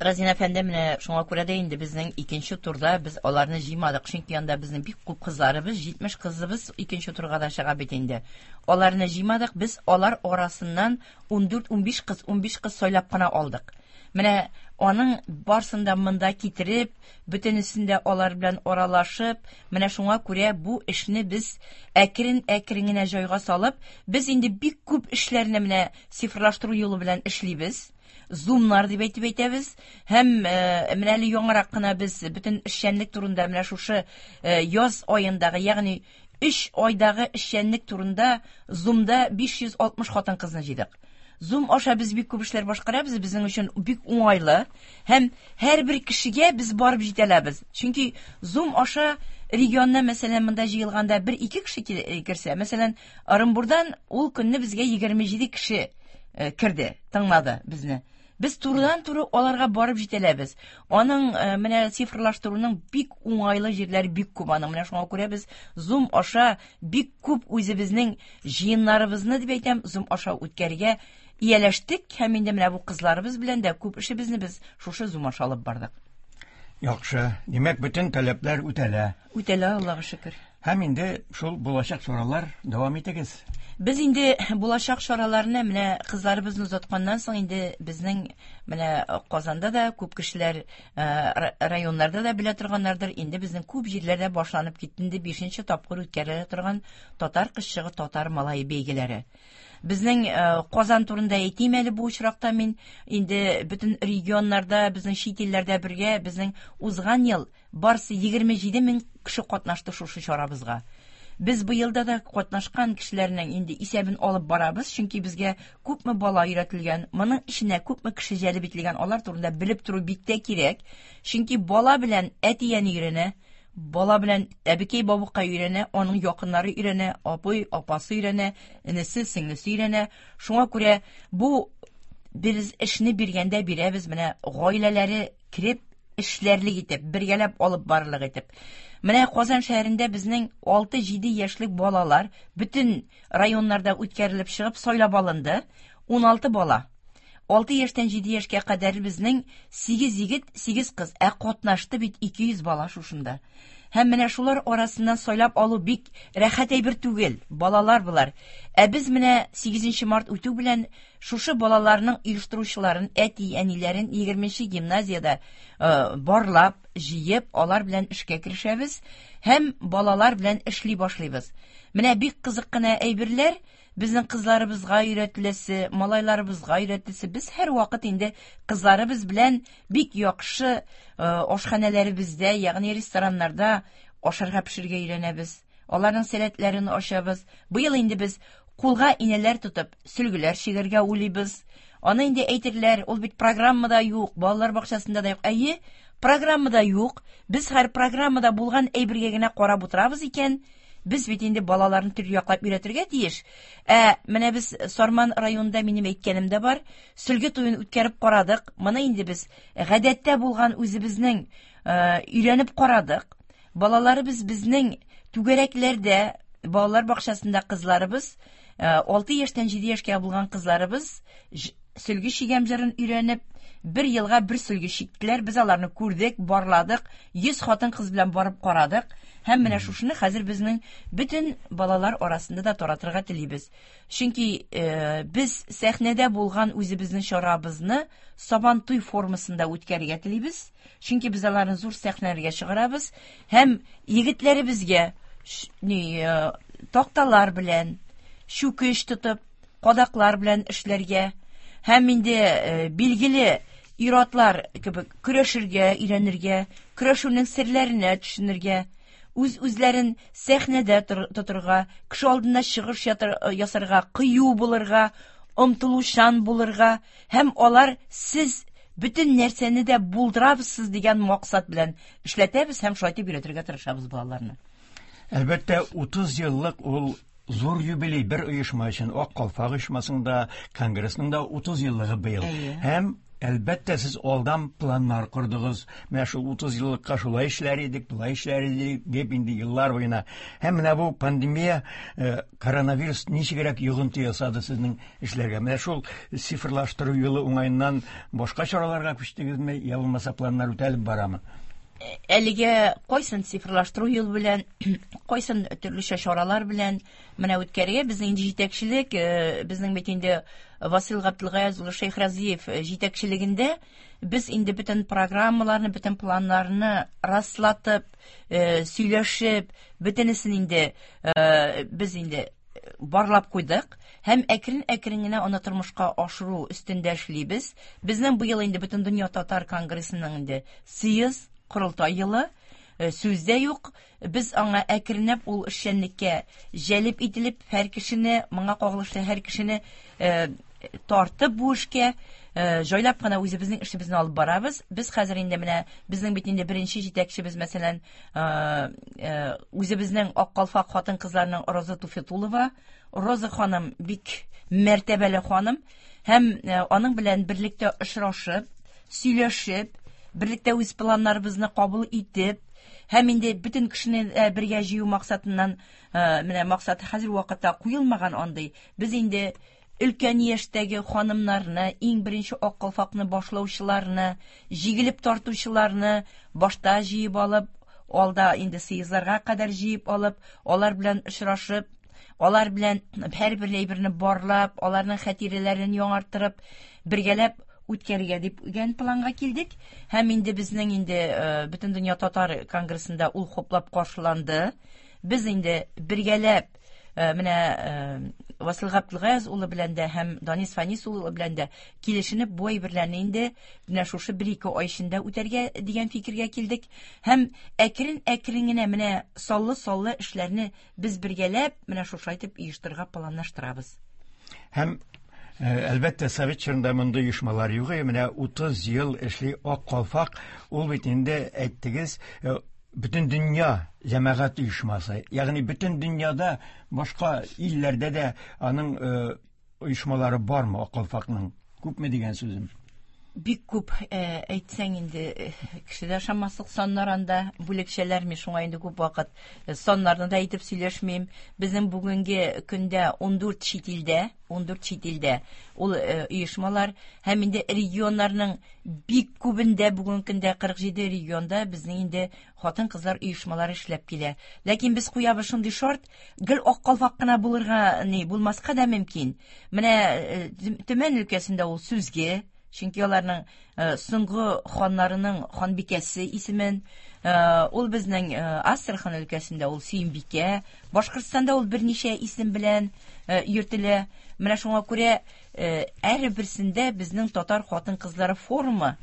Разин әфәнде, менә шуңа күрә дә инде безнең икенче турда без аларны җыймадык, чөнки анда безнең бик күп кызларыбыз, җитмеш кызыбыз икенче турга да чыга бит инде. Аларны җыймадык, без алар арасыннан ундүрт, унбиш кыз, унбиш кыз сайлап кына алдык. Менә аның барсын да монда китереп, бөтенесен дә алар белән аралашып, менә шуңа күрә бу эшне без әкрен-әкрен генә җайга салып, без инде бик күп эшләрне менә цифрлаштыру юлы белән эшлибез. Зумнар дип әйтеп әйтәбез. Һәм, э, менә әле яңарак кына без бөтен эшчәнлек турында менә шушы, э, яз аендагы, ягъни өч айдагы эшчәнлек турында Зумда биш йөз алтмыш хатын-кызны җыйдык. Zoom аша без бик күп эшләр башкарабыз, безнең өчен бик уңайлы һәм һәрбер кешегә без барып җитә алабыз. Чөнки Zoom аша регионнан, мәсәлән, монда җыелганда бер-ике кеше кил-, э, керсә, мәсәлән, Орынбурдан ул көнне безгә егерме җиде кеше, э, керде, тыңлады безне. Без турыдан-туры аларга барып җитә алабыз. Аның, э, менә цифрлаштыруның бик уңайлы җирләре бик күп аның. Менә шуңа күрә без Zoom аша бик күп үзебезнең җыеннарыбызны дип әйтәм, Zoom аша үткәрергә ияләштек һәм инде менә бу кызларыбыз белән дә күп эшебезне без шушы Zoom аша алып бардык. Яхшы. Димәк, бөтен таләпләр үтәлә. Үтәлә, Аллага шөкер. Һәм инде шул булачак чаралар дәвам итегез. Без инде булачак чараларны менә кызларыбызны озатканнан соң инде безнең менә Казанда да күп кешеләр, э, ра-, районнарда да белә торганнардыр. Инде безнең күп җирләрдә башланып китте инде бишенче тапкыр үткәрелә торган татар кызчыгы, татар малае бәйгеләре. Безнең, э, Казан турында әйтим әле бу очракта мин. Инде бөтен регионнарда, безнең чит илләрдә бергә безнең узган ел барсы егерме җиде мең кеше катнашты шушы чарабызга. Без быелда да катнашкан кешеләрнең инде исәбен алып барабыз, чөнки безгә күпме бала өйрәтелгән, моның эченә күпме кеше җәлеп ителгән, алар турында белеп тору бик тә кирәк. Чөнки бала белән әти-әни өйрәнә, бала белән әбекәй бабыкай өйрәнә, аның якыннары өйрәнә, апай, апасы өйрәнә, энесе, сеңлесе өйрәнә. Шуңа күрә бу без эшне биргәндә бирәбез, менә гаиләләре кереп эшләрлек итеп, бергәләп алып барырлык итеп. Менә Казан шәһәрендә безнең алты-җиде яшьлек балалар бөтен районнарда үткәрелеп чыгып сайлап алынды. Уналты бала. Алты яшьтән җиде яшькә кадәр безнең сигез егет, сигез кыз, ә катнашты бит ике йөз бала шушында. Һәм менә шулар арасыннан сайлап алу бик рәхәт әйбер түгел, балалар булар. Ә без менә сигезенче март үтү белән шушы балаларның оештыручыларын, әти-әниләрен егерменче гимназиядә барлап, җыеп, алар белән эшкә керешәбез һәм балалар белән эшли башлыйбыз. Менә бик кызык кына әйберләр безнең кызларыбызга өйрәтеләсе, малайларыбызга өйрәтеләсе. Без һәр вакыт инде кызларыбыз белән бик яхшы ашханәләребездә, ягъни рестораннарда ашарга пешерергә өйрәнәбез. Аларның сәләтләрен ачабыз. Быел инде без кулга инәләр тотып, сөлгеләр чигәргә уйлыйбыз. Аны инде әйтерләр, ул бит программада юк, балалар бакчасында да юк. Әйе, программада юк. Без һәр программада булган әйбергә генә карап утырабыз икән, без бит инде балаларны төрле яклап өйрәтергә тиеш. Ә менә без Сарман районында минем әйткәнем дә бар, сөлге туен үткәреп карадык. Моны инде без гадәттә булган үзебезнең өйрәнеп карадык. Балаларыбыз безнең түгәрәкләрдә, балалар бакчасында кызларыбыз, алты яшьтән җиде яшькә булган кызларыбыз сөлге чигәм җырын өйрәнеп, бер елга бер сөлге чиктеләр. Без аларны күрдек, барладык, йөз хатын-кыз белән барып карадык. Һәм менә шушыны хәзер безнең бөтен балалар арасында да таратырга телибез. Чөнки без сәхнәдә булган үзебезнең чарабызны Сабантуй формасында үткәрергә телибез. Чөнки без аларны зур сәхнәләргә чыгарабыз һәм егетләребезгә такталар белән, чүкеч тотып, кадаклар белән эшләргә һәм инде билгеле ир-атлар кебек көрәшергә өйрәнергә, көрәшүнең серләренә төшенергә, үз-үзләрен сәхнәдә тотырга, кеше алдында чыгыш ясарга, кыю булырга, омтылучан булырга һәм алар сез бөтен нәрсәне дә булдырабыз дигән максат белән эшләтәбез һәм шулай итеп өйрәтергә тырышабыз балаларны. Әлбәттә, утыз еллык ул зур юбилей бер оешма өчен, Ак калфак оешмасында, конгрессның да утыз еллыгы быел. Һәм әлбәттә сез алдан планнар кордыгыз. Менә шул утыз еллыкка шулай эшләр идек, болай эшләр идек дип инде еллар буена. Һәм менә бу пандемия, коронавирус ничегрәк йогынты ясады сезнең эшләргә? Менә шул цифрлаштыру юлы уңаеннан башка чараларга күчтегезме, я булмаса планнар үтәлеп барамы? Әлегә кайсын цифрлаштыру юлы белән, кайсын төрлечә чаралар белән менә үткәрергә безнең инде җитәкчелек, безнең бит инде Васил Габделгаяз улы Шәйхразиев җитәкчелегендә без инде бөтен программаларны, бөтен планнарны раслатып, сөйләшеп, бөтенесен инде без инде барлап куйдык һәм әкрен-әкрен генә аны тормышка ашыру өстендә эшлибез. Безнең быел инде Бөтендөнья татар конгрессының инде съезд корылтай елы, сүз дә юк. Без аңа әкренләп ул эшчәнлеккә җәлеп ителеп, һәр кешене, моңа кагылышлы һәр кешене тартып бу эшкә җайлап кына үзебезнең эшебезне алып барабыз. Без хәзер инде менә безнең бит инде беренче җитәкчебез, мәсәлән, үзебезнең Ак калфак хатын-кызларының Роза Туфетулова. Роза ханым бик мәртәбәле ханым һәм аның белән берлектә очрашып, сөйләшеп, берлектә үз планнарыбызны кабул итеп, һәм инде бөтен кешене бергә җыю максатыннан, менә максат хәзер вакытта куелмаган андый. Без инде өлкән яшьтәге ханымнарны, иң беренче Ак калфакны башлаучыларны, җигелеп тартучыларны башта җыеп алып, алда инде съездларга кадәр җыеп алып, алар белән очрашып, алар белән һәрбер әйберне барлап, аларның хатирәләрен яңарттырып, бергәләп үткәрергә дип дигән планга килдек. Һәм инде безнең инде Бөтендөнья татар конгрессында ул хуплап каршыланды. Без инде бергәләп менә Васил Габделгаяз улы белән дә һәм Данис Фанис улы белән дә килешенеп бу әйберләрне инде менә шушы бер-ике ай эчендә үтәргә дигән фикергә килдек. Һәм әкрен-әкрен генә менә саллы-саллы эшләрне без бергәләп менә шушылай итеп оештырырга планлаштырабыз. Һәм әлбәттә, совет чорында мондый оешмалар юк. Менә утыз ел эшли Ак калфак, ул бит инде әйттегез, бөтен дөнья җәмәгать оешмасы. Ягъни бөтен дөньяда, башка илләрдә дә аның оешмалары бармы Ак калфакның? Күпме дигән сүзем? Бик күп э, әйтсәң инде э, кеше дә ышанмаслык саннар анда бүлекчәләр, мин шуңа инде күп вакыт э, саннарны да әйтеп сөйләшмим. Безнең бүгенге көндә ун дүрт чит илдә, ун дүрт чит илдә ул оешмалар һәм инде регионнарның бик күбендә бүгенге көндә кырык җиде регионда безнең инде хатын-кызлар оешмалары эшләп килә. Ләкин без куябыз шундый шарт, гел ак калфак кына булырга ни булмаска да мөмкин. Менә Төмән өлкәсендә ул сүзге, чөнки аларның соңгы ханнарының ханбикәсе исемен, ул безнең Астрахань өлкәсендә ул Сөембикә, Башкортстанда ул берничә исем белән йөртелә. Менә шуңа күрә һәрберсендә безнең татар хатын-кызлары форумы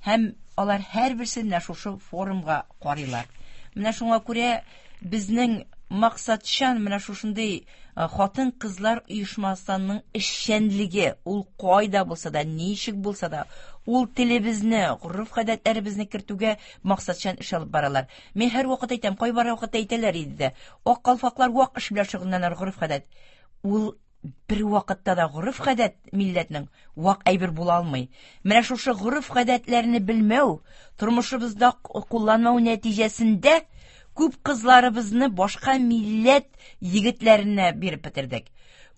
һәм алар һәрберсе менә шушы форумга карыйлар. Менә шуңа күрә безнең максатчан менә шушындый хатын-кызлар оешмасының эшчәнлеге, ул кайда булса да, ничек булса да, ул телебезне, гореф-гадәтләребезне кертүгә максатчан эш алып баралар. Мин һәр вакыт әйтәм, кайбер вакытта әйтәләр иде дә, ак калфаклар вак эш белән шөгыльләнәләр, гореф-гадәт. Ул бер вакытта да гореф-гадәт милләтнең вак әйбер була алмый. Менә шушы гореф-гадәтләрне белмәү, тормышыбызда кулланмау нәтиҗәсендә күп кызларыбызны башка милләт егетләренә биреп бетердек.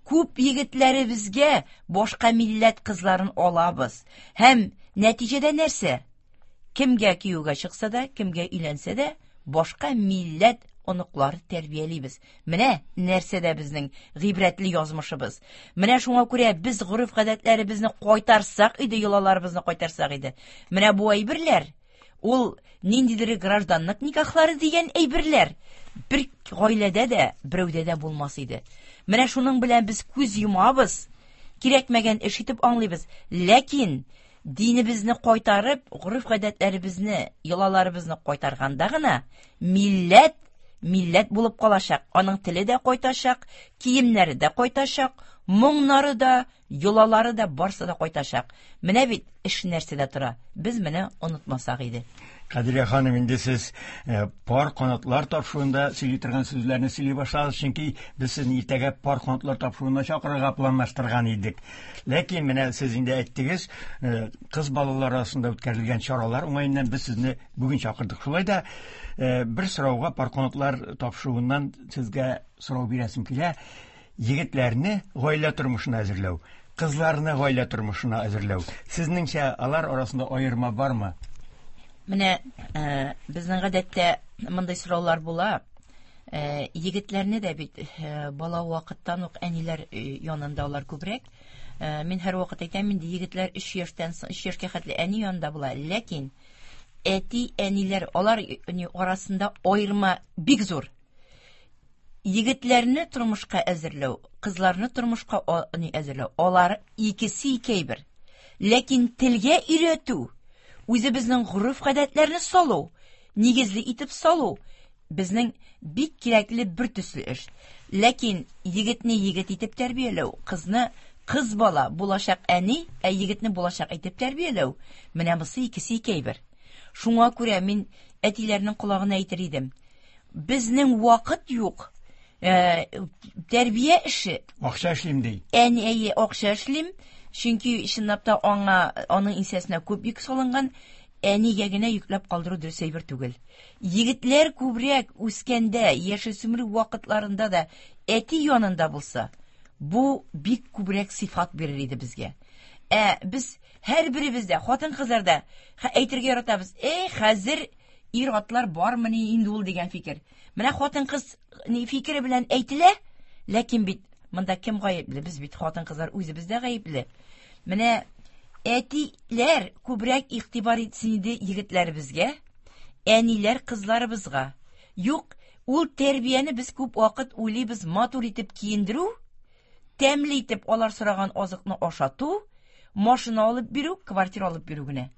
Күп егетләребезгә башка милләт кызларын алабыз. Һәм нәтиҗәдә нәрсә? Кемгә кияүгә чыкса да, кемгә өйләнсә дә, башка милләт оныклары тәрбиялибез. Менә нәрсәдә безнең гыйбрәтле язмышыбыз. Менә шуңа күрә без гореф-гадәтләребезне кайтарсак иде, йолаларыбызны кайтарсак иде. Менә бу әйберләр, ул ниндидер гражданлык никахлары дигән әйберләр бер гаиләдә дә, берәүдә дә булмас иде. Менә шуның белән без күз йомабыз, кирәкмәгән эш итеп аңлыйбыз. Ләкин динебезне кайтарып, гореф-гадәтләребезне, йолаларыбызны кайтарганда гына милләт милләт булып калачак. Аның теле дә кайтачак, киемнәре дә кайтачак, моңнары да, йолалары да, барсы да кайтачак. Менә бит эш нәрсәдә тора. Без менә онытмасак иде. Кадрия ханым, инде сез пар канатлар тапшыруында сөйли торган сүзләрне сөйли башладыгыз, чөнки без сезне иртәгә пар канатлар тапшыруына чакырырга планлаштырган идек. Ләкин менә сез инде әйттегез, кыз балалар арасында үткәрелгән чаралар уңаеннан без сезне бүген чакырдык. Шулай да бер сорауга пар канатлар тапшыруыннан сезгә сорау бирәсем килә. Егетләрне гаилә тормышына әзерләү, кызларны гаилә тормышына әзерләү. Сезнеңчә алар арасында аерма бармы? Менә э, безнең гадәттә мондый сораулар була. Э, егетләрне дә бит э, бала вакыттан ук әниләр янында алар күбрәк. Э, мин һәр вакыт әйтәм, инде егетләр өч яшьтән соң, өч яшькә хәтле әни янында була. Ләкин әти-әниләр алар арасында аерма бик зур. Егетләрне тормышка әзерләү, кызларны тормышка әзерләү, алар икесе ике әйбер. Ләкин телгә өйрәтү, үзебезнең гореф-гадәтләрне салу, нигезле итеп салу безнең бик кирәкле бер төсле эш. Ләкин егетне егет итеп тәрбияләү, кызны кыз бала булачак әни, ә егетне булачак итеп тәрбияләү, менә бусы икесе ике әйбер. Шуңа күрә мин әтиләрнең колагына әйтер идем. Безнең вакыт юк. Э, тәрбия эше. Акча эшлим ди. Әни, әйе, акча эшлим. Чөнки чынлап та аңа, аның иңсәсенә күп йөк салынган, әнигә генә йөкләп калдыру дөрес әйбер түгел. Егетләр күбрәк үскәндә, яшүсмер вакытларында да әти янында булса, бу бик күбрәк сыйфат бирер иде безгә. Ә без һәрберебез дә, хатын-кызлар да әйтергә яратабыз. Эй, хәзер ир-атлар бармыни инде ул дигән фикер. Менә хатын-кыз ни фикере белән әйтелә, ләкин бит монда кем гаепле? Без бит хатын-кызлар үзебез дә гаепле. Менә әтиләр күбрәк игътибар итсен иде егетләребезгә, әниләр кызларыбызга. Юк, ул тәрбияне без күп вакыт уйлыйбыз матур итеп киендерү, тәмле итеп алар сораган азыкны ашату, машина алып бирү, квартира алып бирү генә.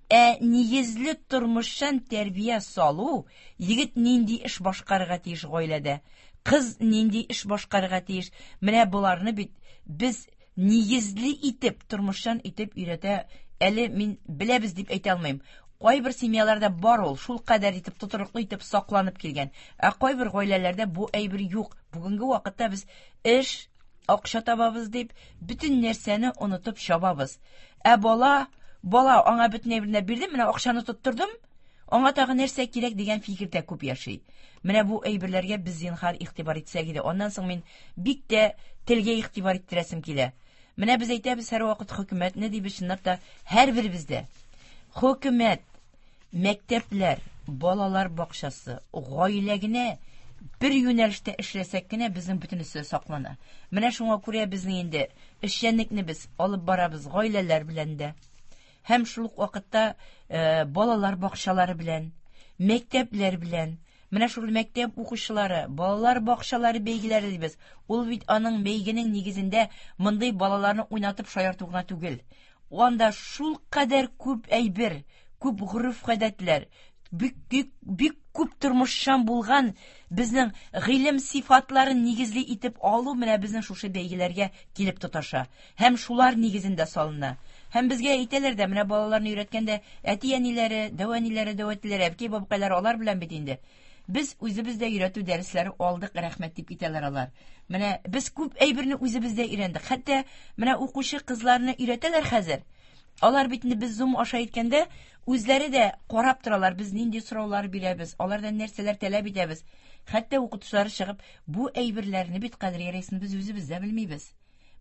Ә нигезле тормышчан тәрбия салу, егет нинди эш башкарырга тиеш гаиләдә, кыз нинди эш башкарырга тиеш. Менә боларны бит без нигезле итеп, тормышчан итеп өйрәтә әле мин беләбез дип әйтә алмыйм. Кайбер семьяларда бар ул, шул кадәр итеп тотрыклы итеп сакланып килгән. Ә кайбер гаиләләрдә бу әйбер юк. Бүгенге вакытта без эш, акча табабыз дип, бөтен нәрсәне онытып чабабыз. Ә бала Бала аңа бөтен әйберне бирдем, менә акчаны тоттырдым, аңа тагы нәрсә кирәк дигән фикердә күп яши. Менә бу әйберләргә без зинһар игътибар итсәк иде. Аннан соң мин бик тә телгә игътибар иттерәсем килә. Менә без әйтәбез һәрвакыт хөкүмәтне дибез, чынлап та һәрберебездә. Хөкүмәт, мәктәпләр, балалар бакчасы, гаилә генә бер юнәлештә эшләсәк кенә безнең бөтенесе саклана. Менә шуңа күрә безнең инде эшчәнлекне без алып барабыз гаиләләр белән дә. Һәм шул ук вакытта э, балалар бакчалары белән, мәктәпләр белән. Менә шул мәктәп укучылары, балалар бакчалары бәйгеләре дибез. Ул бит аның бәйгенең нигезендә мондый балаларны уйнатып шаярту гына түгел. Анда шул кадәр күп әйбер, күп гореф-гадәтләр, бик, бик, бик күп тормышчан булган безнең гыйлем сифатларын нигезле итеп алу менә безнең шушы бәйгеләргә килеп тоташа. Һәм шулар нигезендә салына. Һәм безгә әйтәләр дә, менә балаларны өйрәткәндә әти-әниләре, дәү әниләре, дәү әтиләре, әбкәй бабкайлары алар белән бит инде. Без үзебез дә өйрәтү дәресләре алдык, рәхмәт дип китәләр алар. Менә без күп әйберне үзебез дә өйрәндек. Хәтта менә укучы кызларны өйрәтәләр хәзер. Алар бит инде без Zoom аша әйткәндә үзләре дә карап торалар, без нинди сораулар бирәбез, алардан нәрсәләр таләп итәбез. Хәтта укытучылар чыгып, бу әйберләрне бит Кадрия рәисен без үзебез дә белмибез.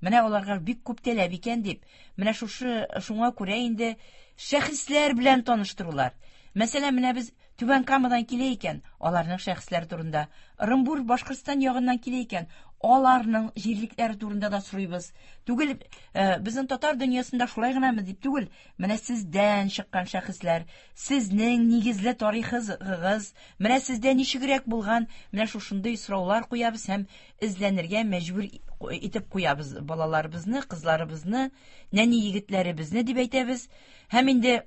Менә аларга бик күп таләп икән дип, менә шушы шуңа күрә инде шәхесләр белән таныштырулар. Мәсәлән, менә без Түбән Камадан килә икән, аларның шәхесләре турында, Ырымбур, Башкортстан ягыннан килә икән, аларның җирлекләре турында да сорыйбыз. Түгел, э, безнең татар дөньясында шулай гынамы дип түгел, менә сездән чыккан шәхесләр, сезнең нигезле тарихыгыз, менә сездә ничегрәк булган, менә шушындый сораулар куябыз һәм эзләнергә мәҗбүр итеп куябыз балаларыбызны, кызларыбызны, нәни егетләребезне дип әйтәбез. Һәм инде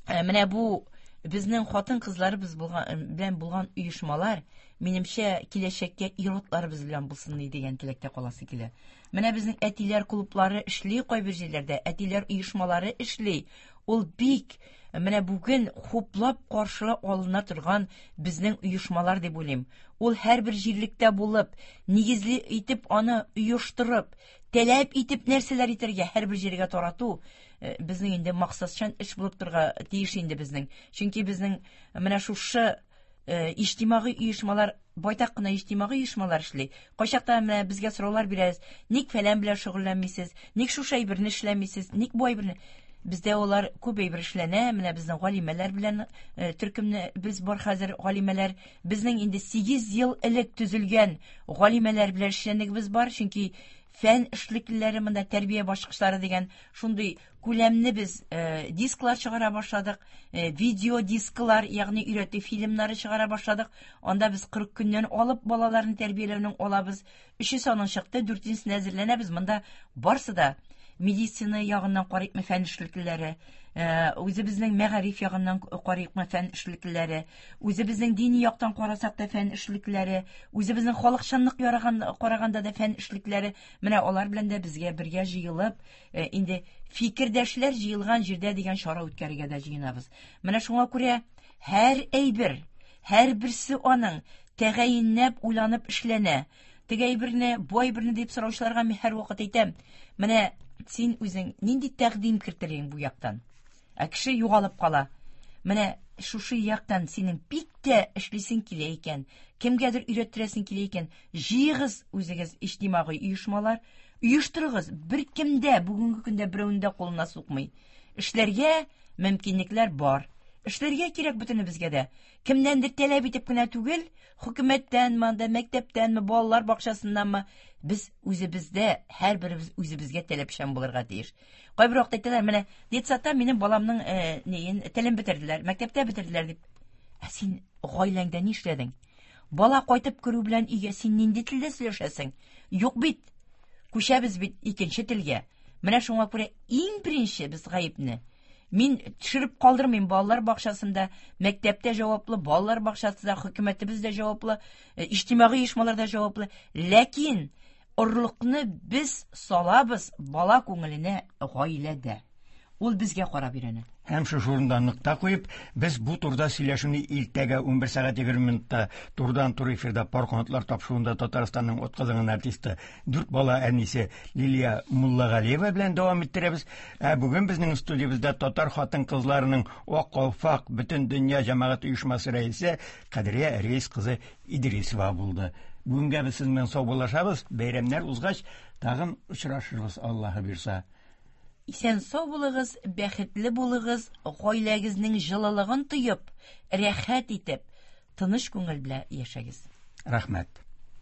э, менә бу безнең хатын-кызларыбыз булган белән булган оешмалар, минемчә, киләчәккә ир-атларыбыз белән булсын дигән теләктә каласы килә. Менә безнең әтиләр клублары эшли кайбер җирләрдә, әтиләр оешмалары эшли. Ул бик менә бүген хуплап каршы алына торган безнең оешмалар дип уйлыйм. Ул һәрбер җирлектә булып, нигезле итеп аны оештырып, таләп итеп нәрсәләр итәргә һәрбер җиргә тарату э, безнең инде максатчан эш булып торырга тиеш инде безнең. Чөнки безнең менә шушы э, иҗтимагый оешмалар, байтак кына иҗтимагый оешмалар эшли. Кайчакта менә безгә сораулар бирәбез. Ник фәлән белән шөгыльләнмисез? Ник шушы әйберне эшләмисез? Ник бу әйберне? Бездә алар күп әйбер эшләнә. Менә безнең галимәләр белән э, төркемне без бар хәзер галимәләр. Безнең инде сигез ел элек төзелгән галимәләр белән эшчәнлегебез бар. Чөнки фән эшлеклеләре монда тәрбия башкычлары дигән шундый күләмне без э, дисклар чыгара башладык, э, видео дисклар, ягъни өйрәтү фильмнары чыгара башладык. Анда без кырык көннән алып балаларны тәрбияләүнең алабыз. Өчесе аның чыкты, дүртенчесенә әзерләнәбез. Монда барсы да медицина ягыннан карыйкмы фән эшлеклеләре, э, үзебезнең мәгариф ягыннан карыйкмы фән эшлеклеләре, үзебезнең дини яктан карасак та фән эшлеклеләре, үзебезнең халыкчанлык яраган караганда да фән эшлеклеләре. Менә алар белән дә безгә бергә җыелып, э, инде фикердәшләр җыелган җирдә дигән чара үткәрергә дә җыенабыз. Менә шуңа күрә һәр әйбер, һәрберсе аның тәгаенләп уйланып эшләнә. Теге әйберне, бу әйберне дип сораучыларга мин һәрвакыт әйтәм. Менә син үзең нинди тәкъдим кертерең бу яктан? Ә кеше югалып кала. Менә шушы яктан синең бик тә эшлисең килә икән, кемгәдер өйрәттерәсең килә икән, җыегыз үзегез иҗтимагый оешмалар, оештырыгыз. Беркем дә бүгенге көндә берәүнең дә кулына сукмый. Эшләргә мөмкинлекләр бар. Эшләргә кирәк бөтенебезгә дә. Кемнәндер таләп итеп кенә түгел, хөкүмәттәнме, анда мәктәптәнме, балалар бакчасыннанмы, без үзебездә, һәрберебез үзебезгә таләпчән булырга тиеш. Кайбер вакытта әйтәләр, менә детсадта минем баламның, э, неен, телен бетерделәр, мәктәптә бетерделәр дип. Ә син гаиләңдә ни эшләдең? Бала кайтып керү белән өйгә син нинди телдә сөйләшәсең? Юк бит. Күчәбез бит икенче телгә. Менә шуңа күрә иң беренче без гаепне мин төшереп калдырмыйм. Балалар бакчасында, мәктәптә җаваплы, балалар бакчасында хөкүмәтебез дә җаваплы, э, иҗтимагый оешмалар да җаваплы. Ләкин орлыкны без салабыз бала күңеленә гаиләдә. Ул безгә карап өйрәнә. Һәм шушы урында нокта куеп, без бу турыда сөйләшүне иртәгә унбер сәгать егерме минутта турыдан-туры эфирда Пар канатлар тапшыруында Татарстанның атказанган артисты, дүрт бала әнисе Лилия Муллагалиева белән дәвам иттерәбез. Ә бүген безнең студиябездә татар хатын-кызларының Ак калфак бөтен дөнья җәмәгать оешмасы рәисе Кадрия Рәис кызы Идрисова булды. Бүгенгә без сезнең белән саубуллашабыз. Бәйрәмнәр узгач, тагын очрашырбыз, Аллаһы бирса. Исән сау булыгыз, бәхетле булыгыз, гаиләгезнең җылылыгын тоеп, рәхәт итеп, тыныч күңел белән яшәгез. Рәхмәт.